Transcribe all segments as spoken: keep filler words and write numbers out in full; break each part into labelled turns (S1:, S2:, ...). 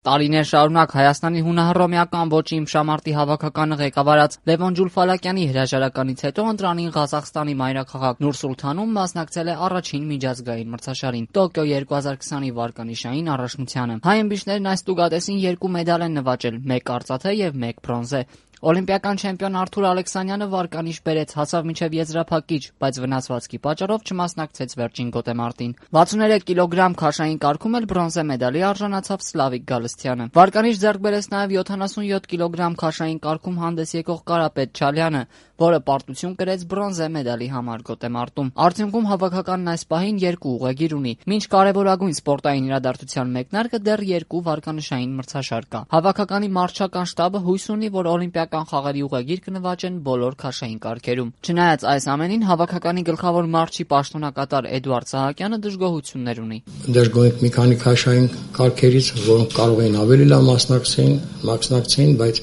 S1: Տարիներ շարունակ Հայաստանի հունահռոմեական ոճի իմշամարտի հավաքականը ղեկավարած Լևոն Ջուլֆալակյանի հրաժարականից հետո ընտրանին Ղազախստանի մայրաքաղաք Նուր-Սուլթանում մասնակցել է առաջին միջազգային մրցաշարին՝ Տոկիո երկու հազար քսանի վարկանիշային առաջնությանը։ Հայ ըմբիշներն այս տուգադեսին երկու մեդալ են նվաճել՝ մեկ արծաթե եւ մեկ բրոնզե։ Օլիմպիական չեմպիոն Արթուր Ալեքսանյանը վարկանիշ բերեց, հասավ մինչև եզրափակիչ, բայց վնասվածքի պատճառով չմասնակցեց վերջին գոտեմարտին։ վաթսուններեք կիլոգրամ քաշային կարգում էլ բրոնզե մեդալի արժանացավ Սլավիկ Գալստյանը։ Վարկանիշ ձեռք բերեց նաև յոթանասունյոթ կիլոգրամ քաշային կարգում հանդես եկող Կարապետ Չալյանը, որը պարտություն կրեց բրոնզե մեդալի համար գոտեմարտում։ Արդյունքում հավաքականն այս պահին երկու ուղեգիր ունի։ Մինչ կարևորագույն սպորտային իրադարձության մեկնարկը դեռ երկու վարկանիշային մրցաշար կա։ Հավաքականի մարզչական շտաբը հույս ունի, որ օլիմպիական խաղերի ուղեգիր կնվաճեն բոլոր քաշային կարգերում։ Չնայած այս ամենին, հավաքականի գլխավոր մարզչի պաշտոնակատար Էդուարդ Սահակյանը դժգոհություններ ունի։
S2: Դժգոհ մի քանի քաշային կարգերից, որոնք կարող էին ավելի լավ մասնակցեին, մասնակցեին, բայց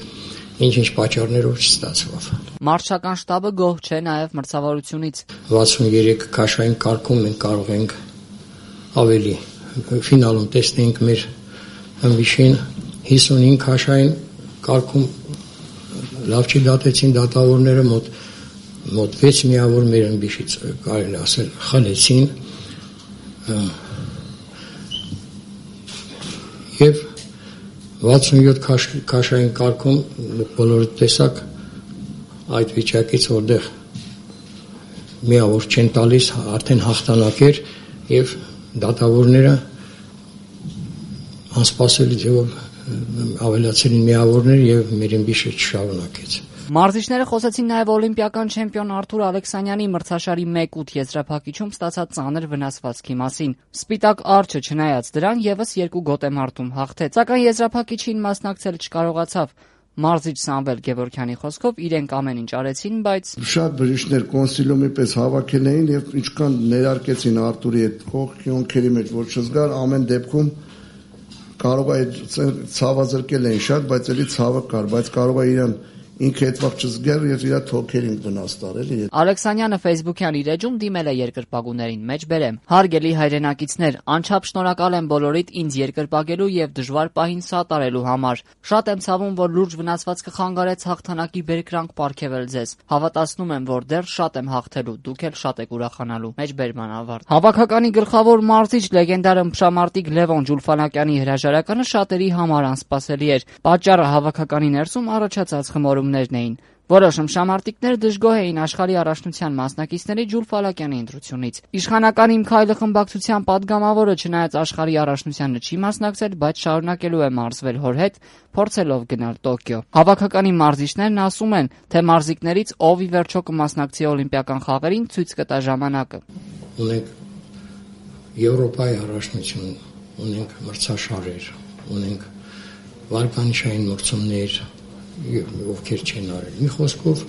S2: ինչ-ինչ պատճառներով չստացվավ։
S1: Մարզչական շտաբը գոհ չէ նաև մրցավարությունից։
S2: վաթսուներեք քաշային կարգում մենք կարող ենք ավելի ֆինալում տեսնենք մեր ըմբիշին, հիսունհինգ քաշային կարգում լավ չդատեցին դատավորները, մոտ մոտ վեց միավոր մեր ըմբիշից կարելի ասել խլեցին եւ վաթսունյոթ քաշային կարգում բոլորը տեսակ այդ վիճակից, որտեղ միավոր չեն տալիս, արդեն հաղթանակ էր եւ դատավորները անսպասելի ձևով ավելացել են միավորներ եւ մեր ըմբիշը չշարունակեց։
S1: Մարզիչները խոսեցին նաև օլիմպիական չեմպիոն Արթուր Ալեքսանյանի մրցաշարի մեկ ութ եզրափակիչում ստացած ծանր վնասվածքի մասին։ Սպիտակ արջը չնայած դրան եւս երկու գոտեմարտում հաղթեց, սակայն եզրափակիչին մասնակցել չկարողացավ։ Մարզիչ Սամվել Գևորգյանի խոսքով իրենք ամեն ինչ արեցին, բայց
S3: շատ բժիշկներ կոնսիլիումի պես հավաքել էին եւ ինչքան ներարկեցին Արտուրի այդ խողքերի մեջ, որ չզգար, ամեն դեպքում կարող է ցավազրկել էին շատ, բայց էլի ցավը կար, բայց կարող է իրան ինքը այդ վաղ չզգար եւ իր թոքերին վնաս տար էլի։
S1: Ալեքսանյանը Facebook-յան իր էջում դիմել է երկրպագուներին, մեջ բերեմ. Հարգելի հայրենակիցներ, անչափ շնորհակալ եմ բոլորիդ ինձ երկրպագելու եւ դժվար պահին սատարելու համար։ Շատ եմ ցավում, որ լուրջ վնասվածքը խանգարեց հաղթանակի բերկրանք պարգևել ձեզ։ Հավատացնում եմ, որ դեռ շատ եմ հաղթելու, դուք էլ շատ եք ուրախանալու։ Մեջբերման ավարտ։ Հավաքականի գլխավոր մարզիչ լեգենդար ըմբշամարտիկ Լևոն Ջուլֆալակյանի հրաժարականը շատերի համար անսպասելի էր։ Պատճառը հավաքականի ներսում առաջացած խմորումներն էին։ Որոշ ըմբշամարտիկներ դժգոհ էին աշխարհի առաջնության մասնակիցների Ջուլֆալակյանի ընտրությունից։ Իշխանական Իմ քայլը խմբակցության падգամավորը չնայած աշխարհի առաջնությանը չի մասնակցել, բայց շարունակելու է մարզվել հոր հետ, փորձելով գնալ Տոկիո։ Հավաքականի մարզիչներն ասում են, թե մարզիկներից ով ի վերջո կմասնակցի օլիմպիական խաղերին, ցույց կտա ժամանակը։
S2: Ունենք Եվրոպայի առաջնություն, ունենք մրցաշարեր, ունենք վարկանիշային մրցումներ, ովքեր չեն արել։ Մի խոսքով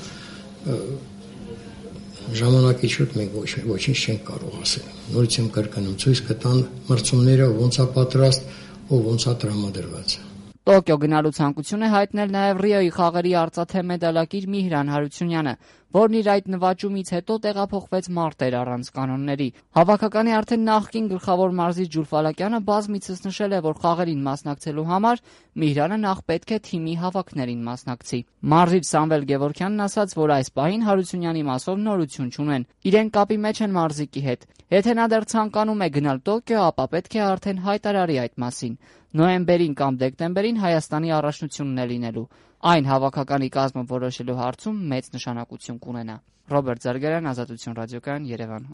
S2: ժամանակի շուտ մենք ոչինչ չենք կարող ասել։ Նորից եմ կրկնում, ցույց կտան մրցումները ոնց է պատրաստ, ով ոնց է տրամադրված։
S1: Տոկիո գնալու ցանկություն է հայտնել նաև Ռիոյի խաղերի արծաթե մեդալակիր Միհրան Հարությունյանը, որն իր այդ նվաճումից հետո տեղափոխվեց մարտեր առանց կանոնների։ Հավաքականի արդեն նախկին գլխավոր մարզիչ Ջուլֆալակյանը բազմիցս նշել է, որ խաղերին մասնակցելու համար Միհրանը նախ պետք է թիմի հավաքներին մասնակցի։ Մարզիչ Սամվել Գևորգյանն ասաց, որ այս պահին Հարությունյանի մասով նորություն չունեն։ Իրեն կապի մեջ են մարզիկի հետ։ Եթե նա դեռ ցանկանում է գնալ Տոկիո, ապա պետք է արդեն հայտարարի այդ մասին։ Նոյեմբերին կամ դեկտեմբերին Հայաստանի առաջնությունն է լինելու։ Այն հավաքականի կազմը որոշելու հարցում մեծ նշանակություն կունենա։ Ռոբերտ Զարգարյան, Ազատություն ռադիոկայան, Երևան։